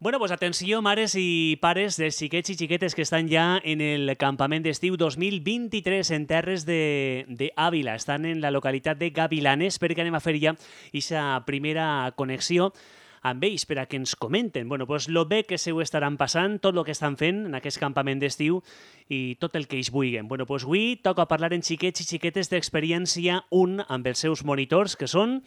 Bueno, pues atenció, mares i pares de xiquets i xiquetes que estan ja en el campament d'estiu 2023 en terres d'Àvila. Estan en la localitat de Gavilanes perquè anem a fer ja aquesta primera connexió amb ells per a que ens comenten pues, lo bé que se ho estaran passant, tot el que estan fent en aquest campament d'estiu i tot el que ells vulguin. Pues avui toca parlar en xiquets i xiquetes d'experiència 1 amb els seus monitors, que són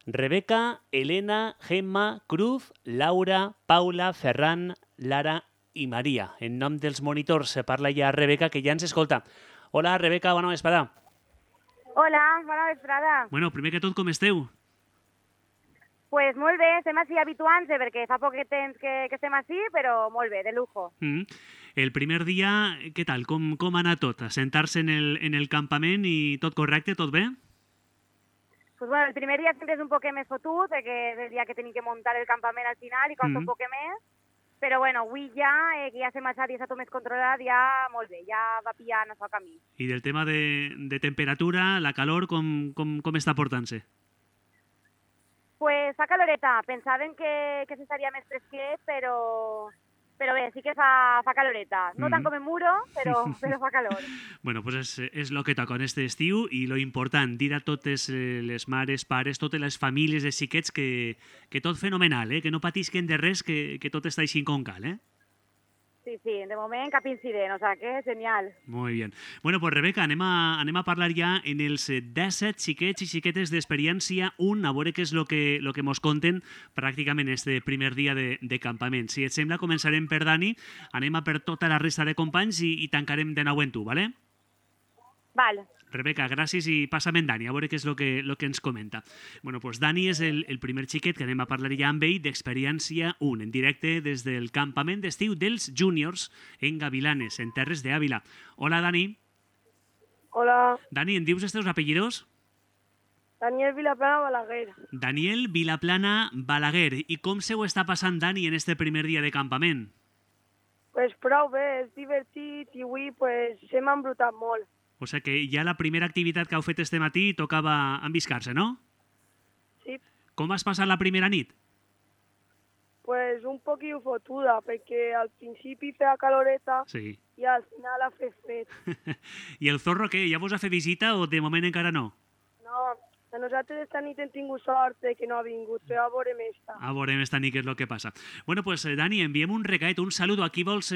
Rebeca, Elena, Gemma, Cruz, Laura, Paula, Ferran, Lara i Maria. En nom dels monitors se parla ja Rebeca, que ja ens escolta. Hola, Rebeca, bona vesprada. Hola, bona vesprada. Bueno, primer que tot, com esteu? Pues molt bé, estem així habituant-se perquè fa poc temps que estem així, però molt bé, de lujo. El primer dia, què tal? Com ha anat tot? Assentar-se en el campament i tot correcte, tot bé? Pues bueno, el primer dia sempre és un poquet més fotut, perquè és el dia que tenim que muntar el campament al final i costa un poquet més, però bueno, avui ja, que ja s'ha marxat i està tot més controlat, ja molt bé, ja va pillant el seu camí. I del tema de temperatura, la calor, com està portant-se? Pues fa caloreta, pensàvem que s'estaria més fresquet, però bé, sí que fa caloreta. No tant com en Muro, però fa calor. Bueno, pues és el que toca en este estiu i lo important, dir a totes les mares, pares, totes les famílies de xiquets que tot fenomenal, que no patisquen de res, que tot està així com cal, Sí, de moment cap incident, o sea que genial. Muy bien. Bueno, pues Rebeca, anem a parlar ja en els 17 xiquets i xiquetes d'experiència 1, a veure què és el que mos conten pràcticament este primer dia de campament. Si et sembla, començarem per Dani, anem a per tota la resta de companys i tancarem de nou en tu, ¿vale? Vale. Rebeca, gràcies i passa'm en Dani, a veure què és el que ens comenta. Bueno, pues Dani és el primer xiquet que anem a parlar ja amb ell d'experiència 1, en directe des del campament d'estiu dels júniors en Gavilanes, en terres d'Àvila. Hola, Dani. Hola. Dani, em dius els teus apellidos? Daniel Vilaplana Balaguer. Daniel Vilaplana Balaguer. I com se ho està passant, Dani, en este primer dia de campament? Pues prou bé, és divertit i avui pues, s'hem embrutat molt. O sigui que ja la primera activitat que heu fet este matí tocava enviscar-se, no? Sí. Com vas passar la primera nit? Pues un poquillo fotuda, perquè al principi feia caloreta i al final ha fet fred. I el zorro què? Ja vos ha fet visita o de moment encara no? No, a nosaltres esta nit hem tingut sort que no ha vingut, però a veurem esta. A veurem esta nit què és el que passa. Bueno, pues Dani, enviem un recaet, un saludo. Aquí vols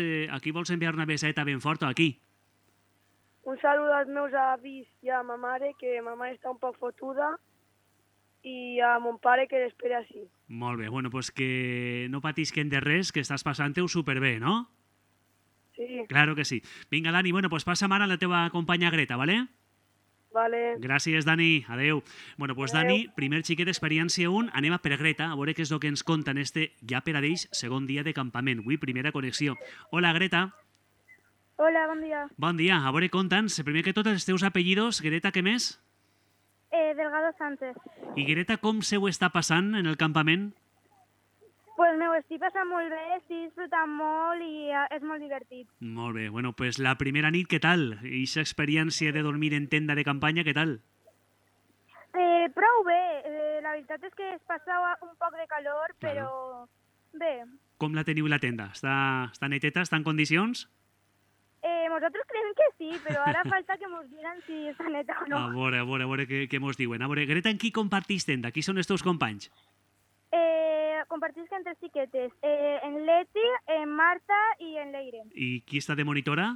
enviar una beseta ben forta, aquí? Un saludo als meus avis i a ma mare, que ma mare està un poc fotuda, i a mon pare, que l'espera així. Molt bé, bueno, pues que no patisquen de res, que estàs passant-ho superbé, no? Sí. Claro que sí. Vinga, Dani, bueno, pues passa ara a la teva companya Greta, ¿vale? Vale. Gràcies, Dani. Adeu. Bueno, pues Adeu. Dani, primer xiquet d'experiència 1, anem a per Greta, a veure què és el que ens conta en este ja per a ells segon dia de campament. Avui, primera connexió. Hola, Greta. Hola, bon dia. Bon dia. A veure, conta'ns, primer que tot, els teus apellidos. Greta, què més? Delgado Sánchez. I Greta, com se ho està passant en el campament? Pues me ho estic passant molt bé, estic disfrutant molt i és molt divertit. Molt bé. Bueno, pues la primera nit, què tal? I aquesta experiència de dormir en tenda de campanya, què tal? Prou bé. La veritat és que es passava un poc de calor, però bé. Com la teniu la tenda? Està neteta? Està en condicions? Nosaltres creiem que sí, però ara falta que mos digan si està neta o no. A veure què mos diuen. A veure, Greta, en qui compartís tenda? Qui són els teus companys? Compartisc entre xiquetes. En Leti, en Marta i en Leire. I qui està de monitora?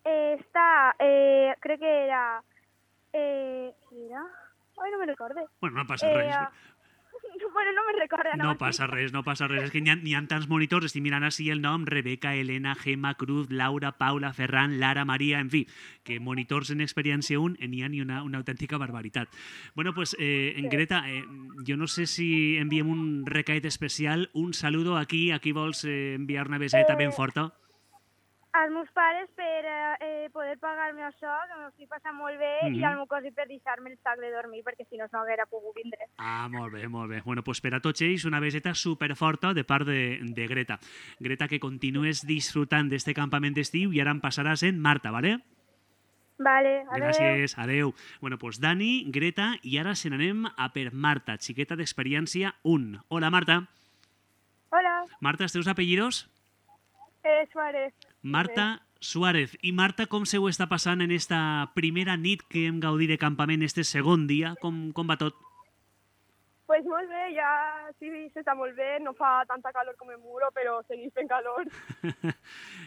Crec que era... Qui era? Ai, no me recorde. Bueno, no passa res. Bueno, no me recorda. No passa res. És que n'hi ha tants monitors. Estic mirant així el nom. Rebeca, Elena, Gemma, Cruz, Laura, Paula, Ferran, Lara, Maria, en fi, que monitors en experiència 1 n'hi ha ni una autèntica barbaritat. Bueno, pues, Greta, jo no sé si enviem un recaet especial, un saludo aquí. Aquí vols enviar una beseta ben forta? Als meus pares per poder pagar-me això, que m'ho estic passant molt bé, i al meu cosí per deixar-me el sac de dormir, perquè si no haguera pogut vindre. Ah, molt bé, molt bé. Bueno, pues per a tots ells una beseta superforta de part de Greta. Greta, que continues disfrutant d'este campament d'estiu i ara em passaràs en Marta, ¿vale? Vale, adeu. Gràcies, adeu. Bueno, pues Dani, Greta, i ara se n'anem a per Marta, xiqueta d'experiència 1. Hola, Marta. Hola, Marta, els teus apellidos? Suárez. Marta Suárez. I Marta, com se ho està passant en esta primera nit que hem gaudit de campament, este segon dia? Com va tot? Pues molt bé, ja sí, s'està molt bé, no fa tanta calor com el muro, però seguís fent calor.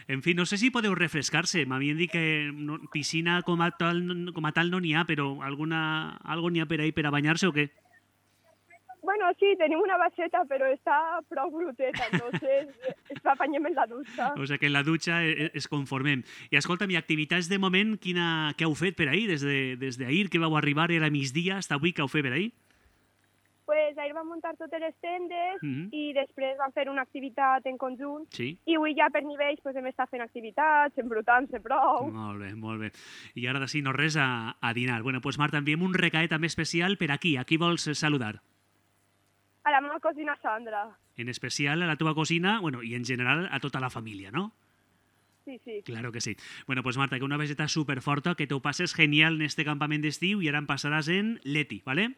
En fi, no sé si podeu refrescar-se. M'havien dit que piscina com a tal no n'hi ha, però algo n'hi ha per ahí per a banyar-se o què? Bueno, sí, tenim una baixeta, però està prou bruteta, entonces apanyem en la dutxa. O sigui que en la dutxa es conformem. I escolta'm, i activitats de moment, què heu fet per ahir? Des d'ahir que vau arribar, era migdia, fins avui, què heu fet per ahir? Pues ahir vam muntar totes les tendes i després vam fer una activitat en conjunt. Sí. I avui ja per nivells pues, hem estat fent activitats, embrutant-se prou. Molt bé, molt bé. I ara sí, no res a dinar. Bueno, doncs Marta, enviem un recaet també especial per aquí. A qui vols saludar? A la meva cosina Sandra. En especial a la teva cosina, bueno, i en general a tota la família, ¿no? Sí, sí. Claro que sí. Bueno, pues Marta, que una visita superforta, que te ho passes genial en este campament d'estiu i ara em passaràs en Leti, ¿vale?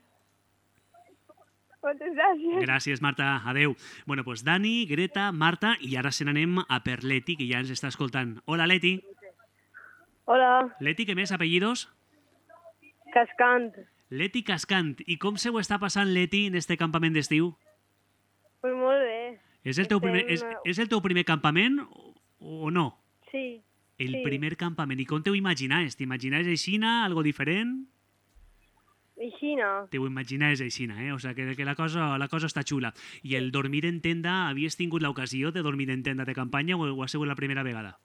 Moltes gràcies. Gràcies, Marta. Adeu. Bueno, pues Dani, Greta, Marta, i ara se n'anem a per Leti, que ja ens està escoltant. Hola, Leti. Hola, Leti, què més? Apellidos? Cascant. Leti Cascant. I com se ho està passant, Leti, en este campament d'estiu? Pues molt bé. És el teu primer campament o no? Sí. El Sí. primer campament. I com t'ho imaginaves? T'imaginaves aixina, algo diferent? Aixina. T'ho imaginaves aixina, O sigui que la cosa està xula. I el dormir en tenda, havies tingut l'ocasió de dormir en tenda de campanya o ha sigut la primera vegada?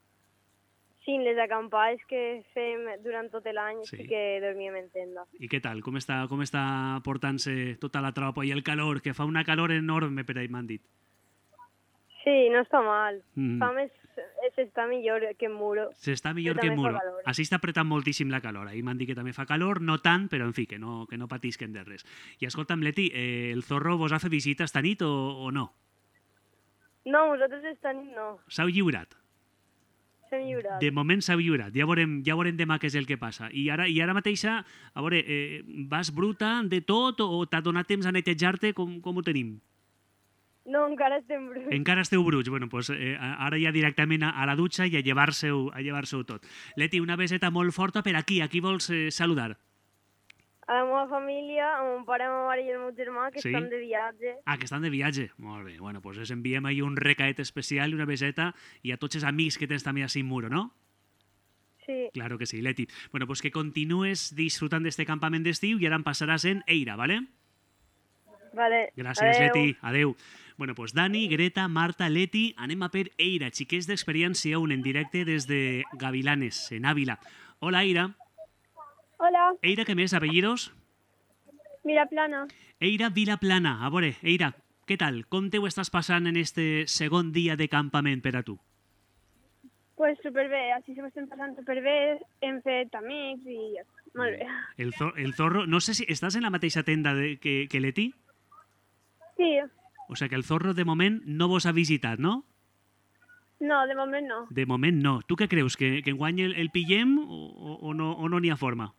Sí, les acampades que fem durant tot l'any Sí. sí que dormíem en tenda. I què tal? Com està portant-se tota la tropa i el calor? Que fa una calor enorme per ahí, m'han dit. Sí, no està mal. Mm. Fa més... S'està millor que en muro. S'està millor Però que en també fa muro. calor. Així està apretant moltíssim la calor. Ahir m'han dit que també fa calor, no tant, però en fi, que no patisquen de res. I escolta'm, Leti, el Zorro vos ha fet visita esta nit o no? No, vosaltres esta nit no. S'heu lliurat? S'hem lliurat. De moment s'ha lliurat. Ja veurem demà què és el que passa. I ara mateixa, a veure, vas bruta de tot o t'ha donat temps a netejar-te? Com ho tenim? No, encara estem bruts. Encara esteu bruts. Bueno, doncs ara ja directament a la dutxa i a llevar-se-ho tot. Leti, una beseta molt forta per aquí. A qui vols saludar? A la meva família, a mon pare, a ma mare i el meu germà, que Sí? estan de viatge. Ah, que estan de viatge. Molt bé. Bueno, doncs els enviem ahir un recaet especial i una beseta i a tots els amics que tens també a Muro, no? Sí. Claro que sí, Leti. Bueno, pues que continues disfrutant d'este campament d'estiu i ara em passaràs en Eira, ¿vale? Vale. Gràcies, Adeu. Leti. Adeu. Bueno, pues Dani, Greta, Marta, Leti, anem a per Eira, xiquets d'experiència, un en directe des de Gavilanes, en Ávila. Hola, Eira. Hola, Eira, què més? Apellidos? mira plana. Eira Vilaplana. A veure, Eira, què tal? Com te ho estàs passant en este segon dia de campament per a tu? Pues superbé, així se m'estem passant superbé, hem fet amics i molt bé. El Zorro, no sé si estàs en la mateixa tenda que Leti? Sí, O sigui que el Zorro de moment no vos ha visitat, no? no, de moment no. De moment no. Tu què creus? Que enguany el pillem o no n'hi ha forma?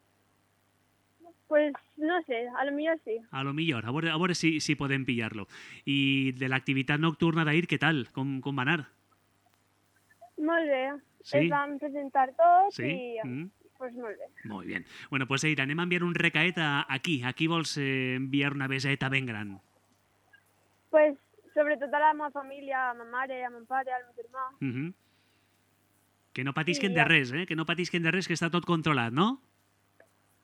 Pues no sé, a lo millor sí. A lo millor, a veure si podem pillar-lo. I de l'activitat nocturna d'ahir, què tal? Com va anar? Molt bé. Sí? Es van presentar tots Sí? i Mm. pues molt bé. Molt bé. Bueno, pues Eira, anem a enviar un recaet aquí. Aquí vols enviar una beseta ben gran? Pues sobretot a la meva família, a ma mare, a mon pare, al meu germà. Mhm. Que no patisquen Sí, de ja. res, Que no patisquen de res, que està tot controlat, no?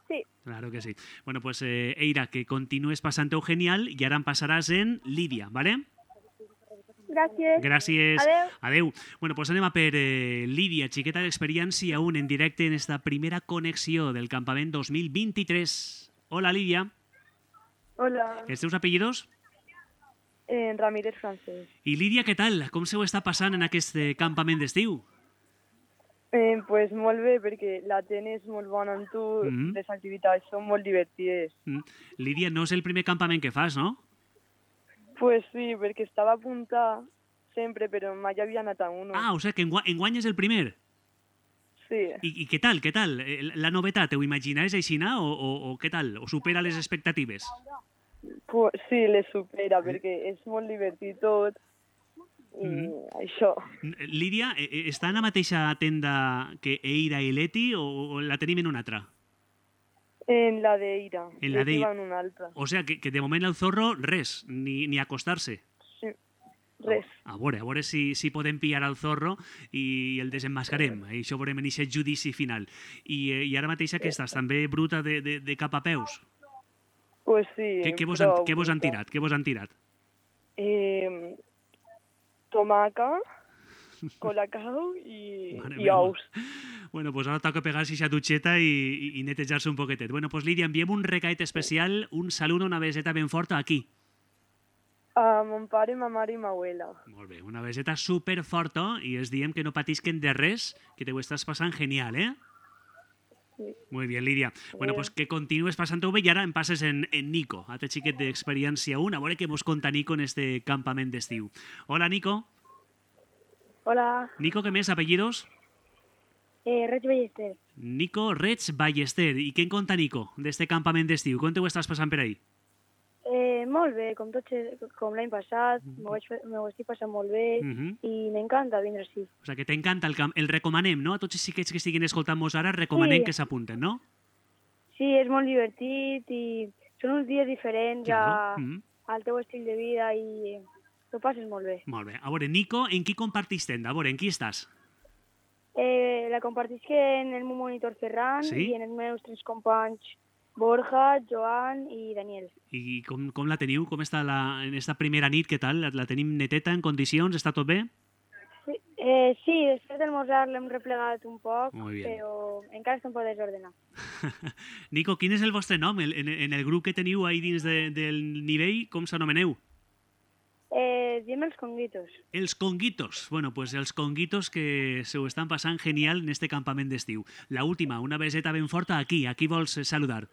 Sí, Claro que sí. Bueno, pues Eira, que continues passant-ho genial i ara em passaràs en Lídia, ¿vale? gràcies. Gràcies. Adeu. Adeu. Bueno, pues anem a per Lídia, xiqueta d'experiència, un en directe en esta primera connexió del campament 2023. Hola, Lídia. Hola, Els teus apellidos? Ramírez Francés. I Lídia, què tal? Com se ho està passant en aquest campament d'estiu? Pues molt bé, perquè la gent és molt bona amb tu, Mhm. les activitats són molt divertides. Lídia, no és el primer campament que fas, no? Pues sí, perquè estava apuntada sempre, però mai havia anat a uno. Ah, o sigui que enguany és el primer. Sí, I què tal, què tal? La novetat, ho imaginaves aixina o què tal? O supera les expectatives? pues, sí, les supera, perquè és molt divertit tot i això. Lídia, està en la mateixa tenda que Eira i Leti o la tenim en una altra? En la d'Eira. En la Leti d'Eira. va en una altra. O sea, que de moment el Zorro, res, ni acostar-se. Sí, res. A veure si podem pillar el Zorro i el desemmascarem. Això veurem en aquest judici final. I ara mateix que estàs també bruta de cap a peus. Pues sí. Què vos han tirat? Què vos han tirat? Tomaca, colacao i ous. Bueno, pues ara toca pegar-se aquesta dutxeta i netejar-se un poquetet. Bueno, pues Lídia, enviem un recaet especial, un saludo, una beseta ben forta aquí. A mon pare, ma mare i ma abuela. Molt bé, una beseta superforta i els diem que no patisquen de res, que te ho estàs passant genial, eh? Sí. Muy bien, Lídia. Bueno, pues que continues passant-ho bé i ara em passes en Nico, altre xiquet d'experiència 1, a veure què mos conta Nico en este campament d'estiu. Hola, Nico. Hola, Nico, què més? Apellidos? Reig Ballester. Nico Reig Ballester. I què en conta Nico d'este campament d'estiu? Com te ho estàs passant per ahí? Molt bé, com l'any passat, m'ho estic passant molt bé i m'encanta vindre així. O sigui, que t'encanta el camp. El recomanem, no? A tots els xiquets que estiguin escoltant-nos ara, recomanem que s'apunten, no? Sí, és molt divertit i són uns dies diferents al teu estil de vida i t'ho passes molt bé. Molt bé. A veure, Nico, en qui compartís tenda? A veure, en qui estàs? La compartisc en el meu monitor Ferran i en els meus 3 companys Borja, Joan i Daniel. I com la teniu? Com està en esta primera nit? Què tal? La tenim neteta, en condicions? Està tot bé? Sí, després del mosar l'hem replegat un poc, però encara està un poc desordenat. Nico, quin és el vostre nom? En el grup que teniu ahí dins del nivell, com s'anomeneu? Diem els conguitos. Els conguitos. Bueno, pues els conguitos que se ho estan passant genial en este campament d'estiu. La última, una beseta ben forta aquí. A qui vols saludar?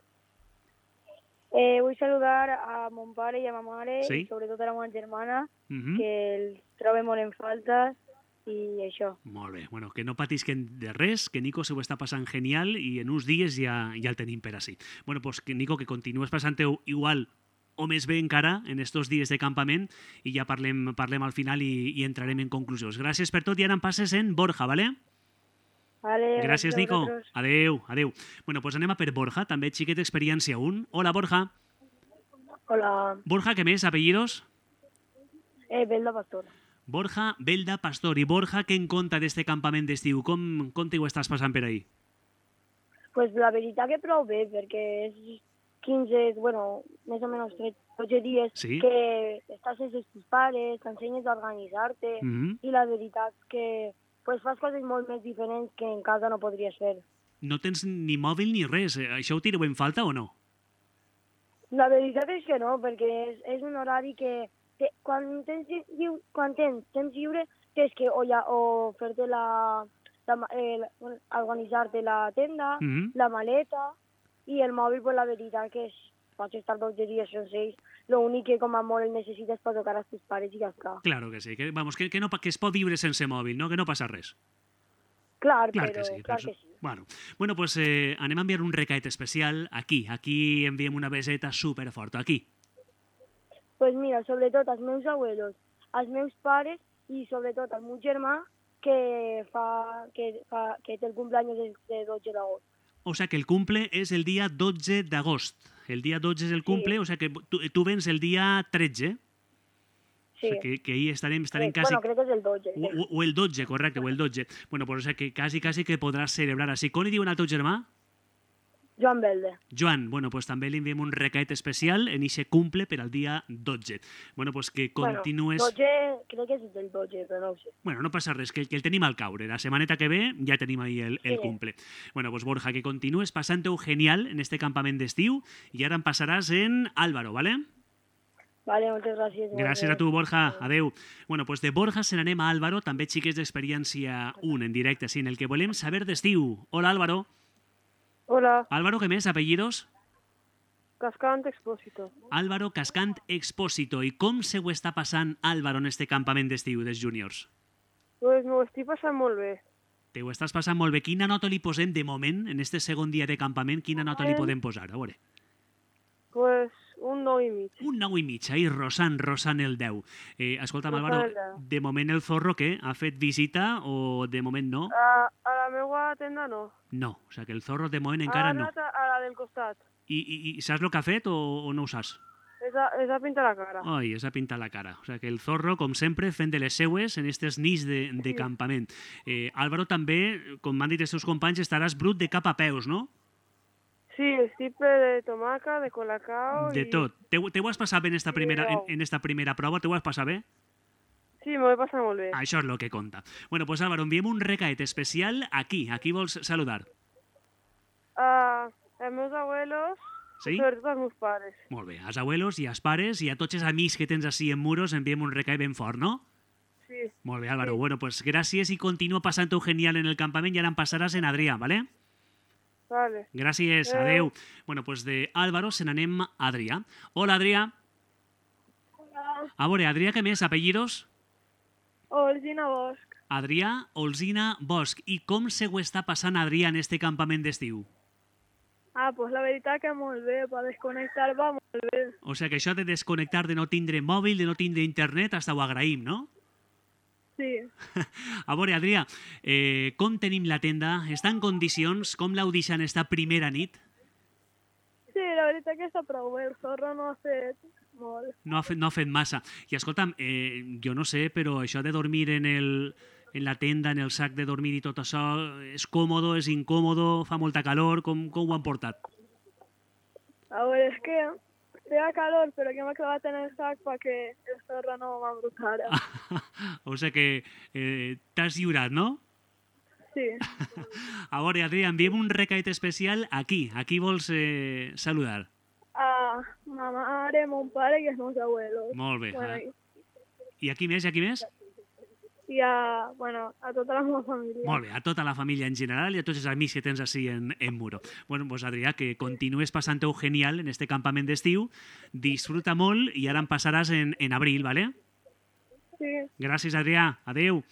Vull saludar a mon pare i a ma mare i sobretot a la meva germana, que els trobo molt en falta i això. Molt bé. Bueno, que no patisquen de res, que Nico se ho està passant genial i en uns dies ja el tenim per ací. Bueno, pues que Nico, que continues passant-ho igual o més bé encara en estos dies de campament i ja parlem al final i entrarem en conclusions. Gràcies per tot i ara em passes en Borja, ¿vale? Vale, gràcies, Nico. Adeu. Bueno, pues anem a per Borja, també xiquet d'experiència 1. Hola, Borja. Hola. Borja, què més? Apellidos? Belda Pastor. Borja Belda Pastor. I Borja, què en conta d'este campament d'estiu? Com t'hi ho estàs passant per ahí? Pues la veritat que prou bé, perquè és 15, bueno, més o menys 12 dies que estàs sense els teus pares, t'ensenyes a organitzar-te i la veritat que pues fas coses molt més diferents que en casa no podries fer. No tens ni mòbil ni res. Això ho tireu en falta o no? La veritat és que no, perquè és un horari que quan tens temps lliure tens que o fer-te organitzar-te la tenda, la maleta i el mòbil, pues, la veritat que pots estar 12 dies sense ells. L'únic que com a molt el necessites per tocar als teus pares i ja està. Claro que sí, que es pot viure sense mòbil, no? Que no passa res. Clar que sí. Bueno, pues anem a enviar un recaet especial aquí enviem una beseta superforta, aquí. Pues mira, sobretot als meus abuelos, als meus pares i sobretot al meu germà que té el cumpleaños de 12 d'agost. O sea que el cumple es el día 12 de agosto. El día 12 es el cumple, o sea que tú vens el día 13. Sí. O sea que ahí estarem quasi... Bueno, crec que és el 12. O el 12, correcte, o el 12. Bueno, pues o sea que quasi que podràs celebrar així. Com li diuen al teu germà? Joan Belde. Joan, bueno, pues també li enviem un recaet especial en ixe cumple per al dia 12. Bueno, pues que continues... Bueno, 12, crec que és el 12, però no ho sé. Bueno, no passa res, que el tenim al caure. La setmaneta que ve ja tenim ahí el cumple. Bueno, pues Borja, que continues passant-ho genial en este campament d'estiu i ara em passaràs en Álvaro, ¿vale? Vale, moltes gràcies. Gràcies a tu, Borja. Adeu. Bueno, pues de Borja se n'anem a Álvaro, també xiques d'experiència 1 en directe, sí, en el que volem saber d'estiu. Hola, Álvaro. Hola. Álvaro, què més? Apellidos? Cascant Expósito. Álvaro Cascant Expósito. I com se ho està passant Álvaro en este campament d'estiu dels júniors? Pues m'ho estic passant molt bé. Te ho estàs passant molt bé. Quina nota li posem de moment, en este segon dia de campament, quina nota li podem posar? A veure. Pues un 9,5. Un 9,5, ahir rosant el 10. Escolta'm, Álvaro, de moment el Zorro, què? Ha fet visita o de moment no? A la meva tenda no. No, o sigui que el Zorro de moment encara no. Ha anat a la del costat. I saps el que ha fet o no ho saps? És a pintar la cara. Ai, és a pintar la cara. O sigui que el Zorro, com sempre, fent de les seues en aquestes nits de campament. Álvaro, també, com m'han dit els seus companys, estaràs brut de cap a peus, no? Sí, estiple de tomaca, de colacao... De tot. Te ho has passat bé en esta primera prova? Te ho has passat bé? Sí, m'ho he passat molt bé. Això és el que compta. Bueno, pues Álvaro, enviem un recaet especial aquí. A qui vols saludar? Els meus abuelos, sí? Sobretot els meus pares. Molt bé. Als abuelos i als pares i a tots els amics que tens així en Muros enviem un recaet ben fort, no? Sí. Molt bé, Álvaro. Sí. Bueno, pues gràcies i continua passant-ho genial en el campament i ara em passaràs en Adrià, ¿vale? Vale. Gràcies, adeu. Bueno, pues de Álvaro se n'anem a Adrià. Hola, Adrià. Hola. A veure, Adrià, què més? Apellidos? Olzina Bosch. Adrià Olzina Bosch. I com se ho està passant Adrià en este campament d'estiu? Pues la veritat que molt bé, per desconnectar va molt bé. O sigui que això de desconnectar, de no tindre mòbil, de no tindre internet, hasta ho agraïm, no? Sí. A veure, Adrià, com tenim la tenda? Està en condicions? Com l'heu deixat esta primera nit? Sí, la veritat que està prou bé. El Zorro no ha fet molt. No ha fet massa. I escolta'm, jo no sé, però això de dormir en la tenda, en el sac de dormir i tot això, és còmodo, és incòmodo, fa molta calor, com ho han portat? A veure, és que feia calor, però que m'ha clavat en el sac perquè el Zorro no m'embrutara. O sigui que t'has lliurat, no? Sí. A veure, Adrià, enviem un recaet especial aquí. A qui vols saludar? A ma mare, mon pare i els meus abuelos. Molt bé. Bueno, I a qui més? I a qui més? I a tota la meva família. Molt bé, a tota la família en general i a tots els amics que tens així en Muro. Bueno, pues Adrià, que continues passant-ho genial en este campament d'estiu, disfruta molt i ara em passaràs en abril, ¿vale? Sí. Gràcies, Adrià. Adeu.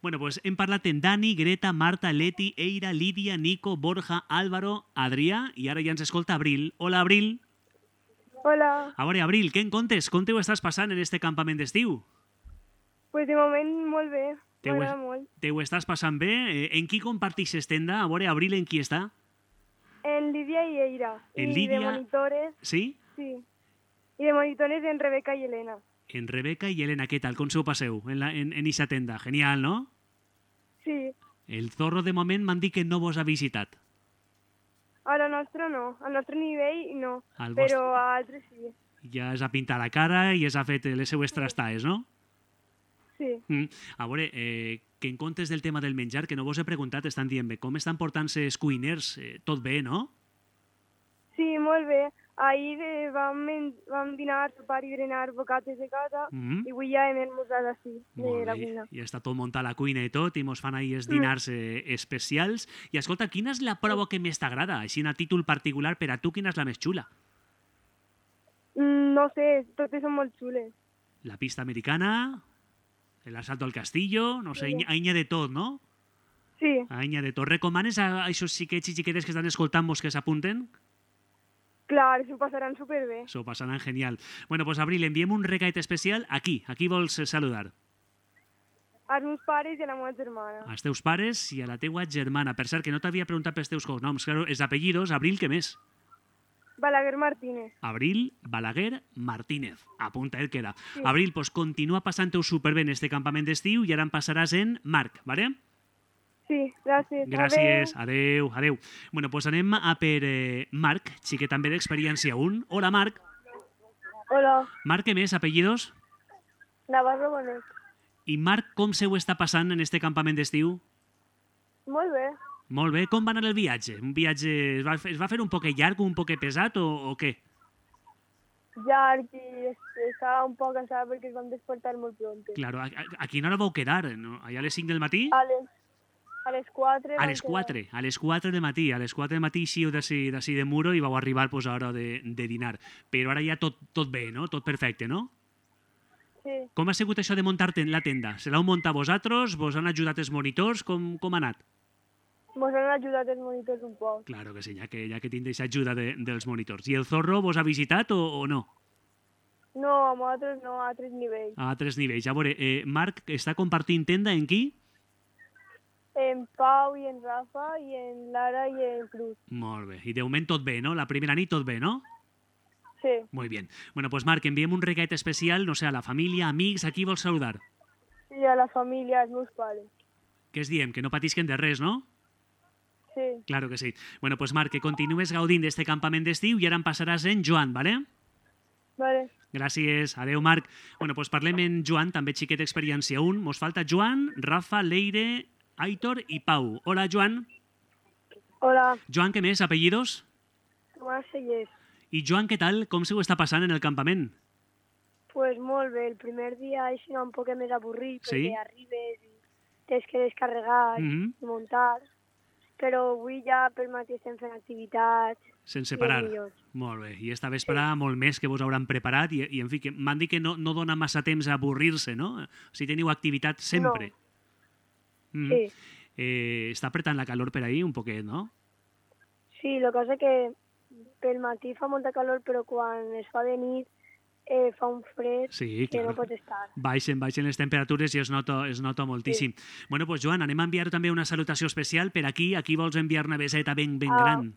Bueno, pues hem parlat en Dani, Greta, Marta, Leti, Eira, Lídia, Nico, Borja, Álvaro, Adrià i ara ja ens escolta Abril. Hola, Abril. Hola. A veure, Abril, què en contes? Com t'ho estàs passant en este campament d'estiu? Pues de moment molt bé. M'agrada molt. Te ho estàs passant bé? En qui compartixes tenda? A veure, Abril, en qui està? En Lídia i Eira. En I Lídia... de monitores... Sí? Sí. I de monitores en Rebeca i Elena. En Rebeca i Elena, què tal? Com se ho passeu en eixa tenda? Genial, no? Sí. El Zorro, de moment, m'han dit que no vos ha visitat. A la nostra no. Al nostre nivell no. Però a altres sí. Ja es ha pintat la cara i es ha fet les seues trastaes, no? Sí. A veure, que en comptes del tema del menjar, que no vos he preguntat, estan dient bé, com estan portant-se els cuiners? Tot bé, no? Sí, molt bé. Ahir vam dinar, sopar i berenar bocates de casa i avui ja hem esmorzat així, de la cuina. I està tot muntat a la cuina i tot, i mos fan ahir els dinars especials. I escolta, quina és la prova que més t'agrada? Així, a títol particular, per a tu, quina és la més xula? No sé, totes són molt xules. La pista americana, el asalto al castillo, no sé, aïnya de tot, no? Sí. Aïnya de tot. Recomanes a aquests xiquets i xiquetes que estan escoltant-vos que s'apunten? Clar, s'ho passaran superbé. S'ho passaran genial. Bueno, pues Abril, enviem un recaet especial aquí. A qui vols saludar? Als meus pares i a la meva germana. Als teus pares i a la teua germana. Per cert, que no t'havia preguntat pels teus cognoms. Claro, els apellidos, Abril, què més? Balaguer Martínez. Abril Balaguer Martínez. Apunta, queda. Sí. Abril, pues continua passant-ho superbé en este campament d'estiu i ara em passaràs en Marc, ¿vale? Sí, gràcies. Gràcies, adeu, adeu. Bueno, pues anem a per Marc, xiquet també d'experiència 1. Hola, Marc. Hola. Marc, què més, apellidos? Navarro Bonet. I Marc, com se ho està passant en este campament d'estiu? Molt bé. Molt bé. Com va anar el viatge? Un viatge es va fer un poc llarg, un poc pesat o què? Llarg i estava un poc cansat perquè es vam despertar molt pronto. Claro, a quina hora vau quedar? No? Allà a les 5 del matí? A les 4. A les 4, a les 4 del matí. A les 4 del matí eixíeu d'ací de Muro i vau arribar pues, a l'hora de dinar. Però ara ja tot bé, no? Tot perfecte, no? Sí. Com ha sigut això de muntar la tenda? Se l'heu muntat vosaltres? Vos han ajudat els monitors? Com ha anat? Mos han ajudat els monitors un poc. Claro que sí, ja que tindreix ajuda dels monitors. I el Zorro vos ha visitat o no? No, amb altres no, a altres nivells. A altres nivells. A veure, Marc està compartint tenda en qui? En Pau i en Rafa i en Lara i en Cruz. Molt bé. I de moment tot bé, no? La primera nit tot bé, no? Sí. Muy bien. Bueno, pues Marc, enviem un regalet especial, no sé, a la família, amics, a qui vols saludar? I a la família, als meus pares. Què es diem? Que no patisquen de res, no? Sí. Claro que sí. Bueno, pues Marc, que continues gaudint d'este campament d'estiu i ara em passaràs en Joan, ¿vale? Vale. Gràcies. Adeu, Marc. Bueno, pues parlem en Joan, també xiquet experiència 1. Mos falta Joan, Rafa, Leire, Aitor i Pau. Hola, Joan. Hola. Joan, què més? Apellidos? Tomàs Sellers. I Joan, què tal? Com se ho està passant en el campament? Pues molt bé. El primer dia és un poc més avorrit, sí? perquè arribes i tens que descarregar i muntar. Però avui ja pel matí estem fent activitats. Sense parar. Molt bé. I esta vespre molt més que vos hauran preparat i en fi, que m'han dit que no dona massa temps a avorrir-se, no? Si teniu activitat sempre. No. Sí. Està apretant la calor per ahí un poquet, no? Sí, el que passa que pel matí fa molta calor, però quan es fa de nit fa un fred que no pot estar. Baixen les temperatures i es nota moltíssim. Sí. Bueno, pues Joan, anem a enviar també una salutació especial per aquí. Aquí vols enviar una beseta ben gran?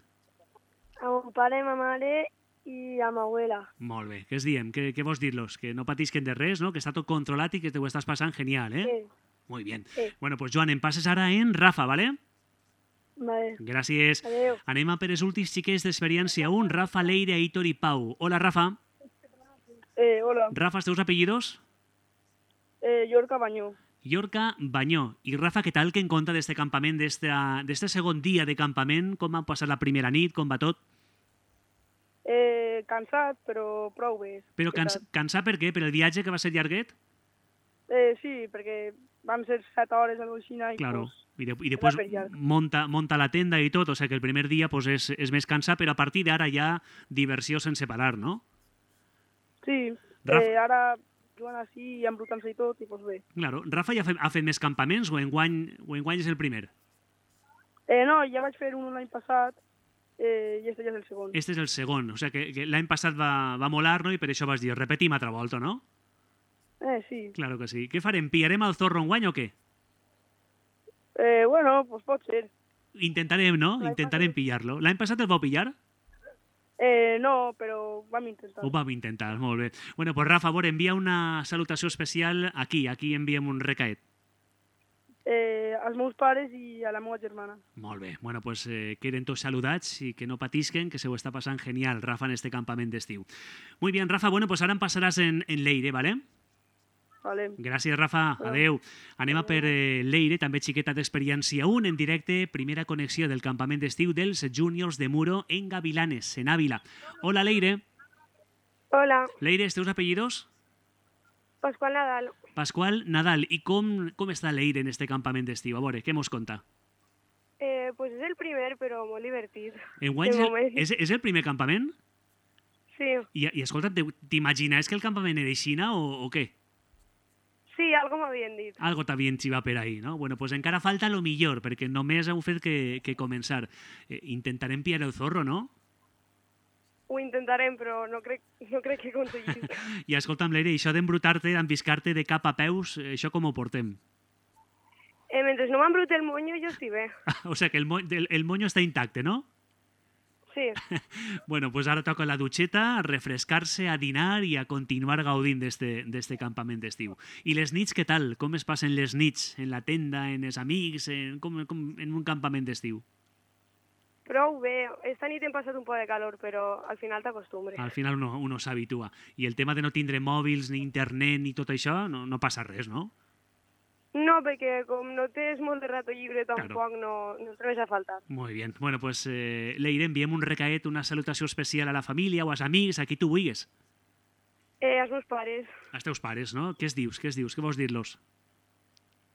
A mon pare, a ma mare i a ma abuela. Molt bé. Què es diem? Què vols dir-los? Que no patisquen de res, no? Que està tot controlat i que te ho estàs passant genial, eh? Sí. Muy bien. Sí. Bueno, pues Joan, em passes ara en Rafa, ¿vale? Vale. Gràcies. Adéu. Anem a per els últims xiquets d'experiència 1, Rafa, Leire, Aitor i Pau. Hola, Rafa. Hola. Rafa, els teus apellidos? Llorca Bañó. Llorca Bañó. I Rafa, què tal que en compte d'este campament, d'este segon dia de campament? Com ha passat la primera nit? Com va tot? Cansat, però prou bé. Però cansat per què? Per el viatge que va ser llarguet? Sí, perquè vam ser 7 hores a l'Oixina i... Claro. I després monta la tenda i tot, o sigui que el primer dia pues, és més cansat, però a partir d'ara ja diversió sense parar, no? Sí, ara jugant així i embrutant-se i tot, i doncs bé. Claro. Rafa ja ha fet més campaments o enguany és el primer? No, ja vaig fer un l'any passat i este ja és el segon. Este és el segon, o sigui que l'any passat va molar, no? I per això vas dir, repetim altra volta, no? Sí. Claro que sí. Què farem? Pillarem el Zorro enguany o què? Bueno, pues pot ser. Intentarem, no? Intentarem pillar-lo. L'any passat el vau pillar? No, però vam intentar. Ho vam intentar, molt bé. Bueno, pues Rafa, a veure, envia una salutació especial aquí enviem un recaet. Als meus pares i a la meva germana. Molt bé. Bueno, pues queden tots saludats i que no patisquen, que se ho està passant genial, Rafa, en este campament d'estiu. Muy bien, Rafa. Bueno, pues ara em passaràs en Leire, ¿vale? Vale. Gràcies, Rafa. Adeu. Anem a per Leire, també xiqueta d'experiència 1, en directe, primera connexió del campament d'estiu dels Juniors de Muro en Gavilanes, en Ávila. Hola, Leire. Hola. Leire, els teus apellidos? Pascual Nadal. Pascual Nadal. I com està Leire en este campament d'estiu? A veure, què mos conta? Pues és el primer, però molt divertit. Enguany és el primer campament? Sí. I escolta, t'imagines que el campament era Xina o què? Sí, algo m'havien dit. Algo t'havien xivat per ahí, no? Bueno, pues encara falta lo millor, perquè només heu fet que començar. Intentarem pillar el Zorro, no? Ho intentarem, però no crec que aconseguim. I escolta'm, Leire, això d'embrutar-te, d'embiscar-te de cap a peus, això com ho portem? Mentre no m'embruti el monyo, jo estic bé. O sigui que el monyo està intacte, no? Sí. Bueno, pues ara toca la dutxeta, a refrescar-se, a dinar i a continuar gaudint d'este campament d'estiu. I les nits, què tal? Com es passen les nits? En la tenda, en els amics, en un campament d'estiu? Prou bé. Esta nit hem passat un poc de calor, però al final t'acostumbres. Al final uno s'habitua. I el tema de no tindre mòbils, ni internet, ni tot això, no passa res, no? No, perquè com no tens molt de rato llibre, tampoc no trobes a faltar. Muy bien. Bueno, pues Leire, enviem un recaet, una salutació especial a la família o als amics, a qui tu vulguis. Als meus pares. Als teus pares, no? Què dius? Què vols dir-los?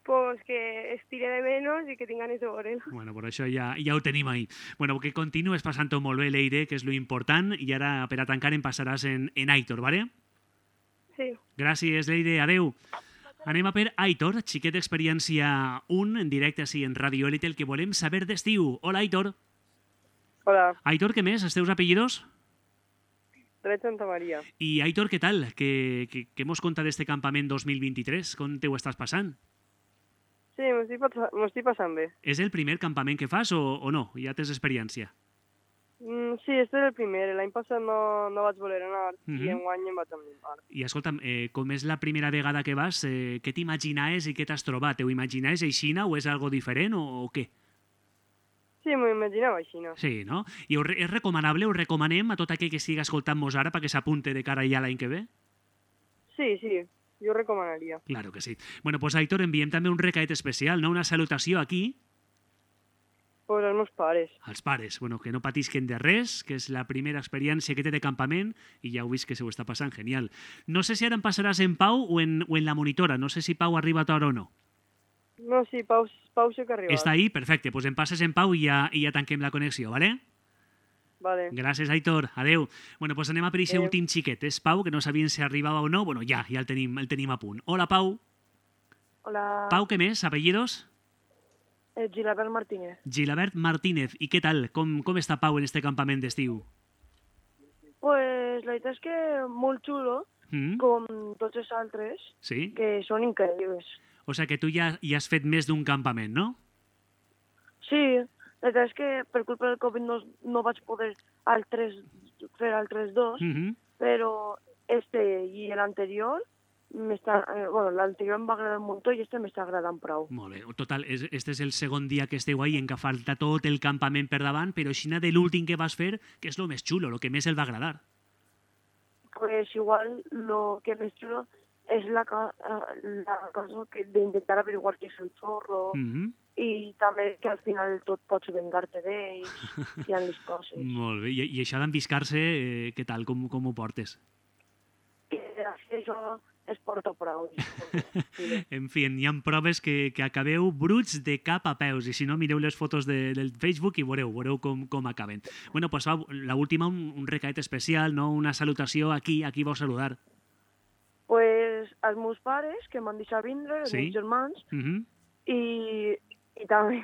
Pues que estire de menos i que tinc ganes de veure'l. Bueno, per això ja ho tenim ahí. Bueno, que continues passant-ho molt bé, Leire, que és lo important, i ara per a tancar em passaràs en Aitor, ¿vale? Sí. Gràcies, Leire. Adeu. Anem a per Aitor, xiquet d'experiència 1, en directe així en Radio Elite, el que volem saber d'estiu. Hola, Aitor. Hola. Aitor, què més? Els teus apellidos? Dret Santa Maria. I Aitor, què tal? Què mos conta d'este campament 2023? Com te ho estàs passant? Sí, m'ho estic passant bé. És el primer campament que fas o no? Ja tens experiència? Sí, este és el primer. L'any passat no vaig voler anar i enguany em vaig animar. I escolta'm, com és la primera vegada que vas, què t'imaginaves i què t'has trobat? Ho imaginaves aixina o és algo diferent o què? Sí, m'ho imaginava aixina. Sí, no? I és recomanable, ho recomanem a tot aquell que estigui escoltant-nos ara perquè s'apunte de cara ja l'any que ve? Sí, jo ho recomanaria. Claro que sí. Bueno, pues Aitor, enviem també un recaet especial, no? Una salutació aquí. Pues als meus pares. Als pares, bueno, que no patisquen de res, que és la primera experiència que té de campament i ja heu vist que se ho està passant genial. No sé si ara em passaràs en Pau o en la monitora, no sé si Pau ha arribat ara o no. No, sí, Pau sí que ha arribat. Està ahí? Perfecte, pues em passes en Pau i ja tanquem la connexió, ¿vale? Vale. Gràcies, Aitor. Adeu. Bueno, pues anem a per aquest últim xiquet. És Pau, que no sabien si arribava o no. Bueno, ja el tenim a punt. Hola, Pau. Hola. Pau, què més? Apellidos? Gilabert Martínez. Gilabert Martínez. I què tal? Com està Pau en este campament d'estiu? Pues la veritat és que molt xulo, com tots els altres, sí? Que són increïbles. O sigui que tu ja has fet més d'un campament, no? Sí, la veritat és que per culpa del Covid no vaig poder fer altres dos, però i l'anterior l'anterior em va agradar un muntó i m'està agradant prou. Molt bé. Total, este és el segon dia que esteu ahí, en què falta tot el campament per davant, però així de l'últim que vas fer, que és el més xulo, el que més el va agradar? Pues igual lo que més xulo és la cosa d'intentar averiguar qui és el zorro i també que al final tot pots vengar-te d'ells i en les coses. Molt bé. I això d'enviscar-se, què tal? Com ho portes? Això es porta prou. En fi, hi ha proves que acabeu bruts de cap a peus, i si no, mireu les fotos del Facebook i veureu com acaben. Bueno, pues l'última, un recaet especial, no? Una salutació aquí vau saludar. Pues als meus pares, que m'han deixat vindre, els meus germans, i també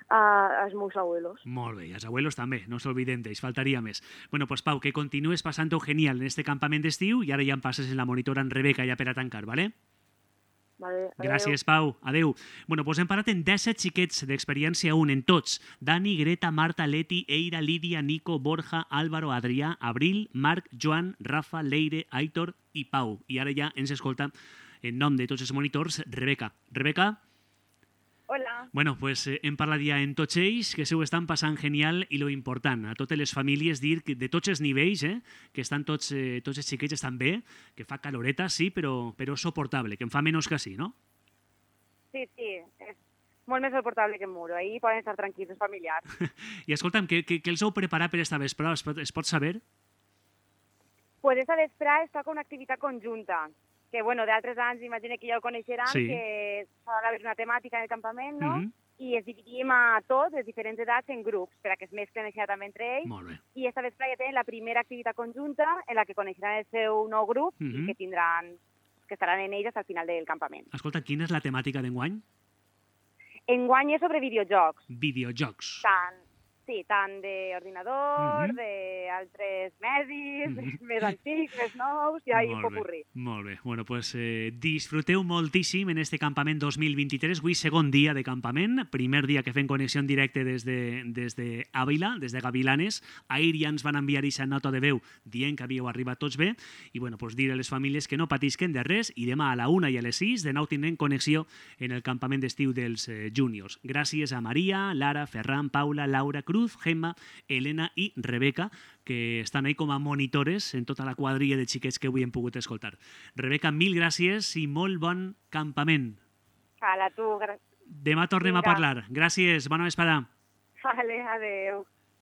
als meus abuelos. Molt bé, i els abuelos també, no s'olviden d'ells, faltaria més. Bueno, pues Pau, que continues passant-ho genial en este campament d'estiu i ara ja em passes en la monitora en Rebeca ja per a tancar, ¿vale? Vale, adeu. Gràcies, Pau. Adeu. Bueno, pues hem parat en 17 xiquets d'experiència 1, en tots. Dani, Greta, Marta, Leti, Eira, Lídia, Nico, Borja, Álvaro, Adrià, Abril, Marc, Joan, Rafa, Leire, Aitor i Pau. I ara ja ens escolta, en nom de tots els monitors, Rebeca. Rebeca? Hola. Bueno, pues hem parlat ja en tots ells, que se ho estan passant genial i lo important, a totes les famílies dir que de tots els nivells, que estan tots els xiquets estan bé, que fa caloreta, sí, però soportable, que en fa menys que sí, no? Sí, és molt més soportable que en Muro, ahí poden estar tranquils els familiars. I escolta'm, què els heu preparat per esta vesprada? Es pot saber? Pues esta vesprada es toca una activitat conjunta, que, bueno, d'altres anys, imagino que ja ho coneixeran, sí. Que s'ha d'haver una temàtica en el campament, no? I es dividim a tots, les diferents edats, en grups, per a que es mesclen així també entre ells. Molt bé. I esta vesprada ja tenen la primera activitat conjunta en la que coneixeran el seu nou grup i que estaran en ells al final del campament. Escolta, quina és la temàtica d'enguany? Enguany és sobre videojocs. Videojocs. Tant d'ordinador, d'altres medis, més antics, més nous, i ahí un popurrí. Molt bé. Bueno, pues disfruteu moltíssim en este campament 2023. Avui segon dia de campament, primer dia que fem connexió en directe des de Àvila, des de Gavilanes. Ahir ja ens van enviar aquesta nota de veu dient que havíeu arribat tots bé i bueno, pues dir a les famílies que no patisquen de res i demà a la 1 i a les 6 de nou tindrem connexió en el campament d'estiu dels júniors. Gràcies a Maria, Lara, Ferran, Paula, Laura, Cruz, Gemma, Elena i Rebeca, que estan ahí com a monitores en tota la quadrilla de xiquets que avui hem pogut escoltar. Rebeca, mil gràcies i molt bon campament. Hala, tu. Demà tornem a parlar. Gràcies, bona vesprada. Vale, adeu.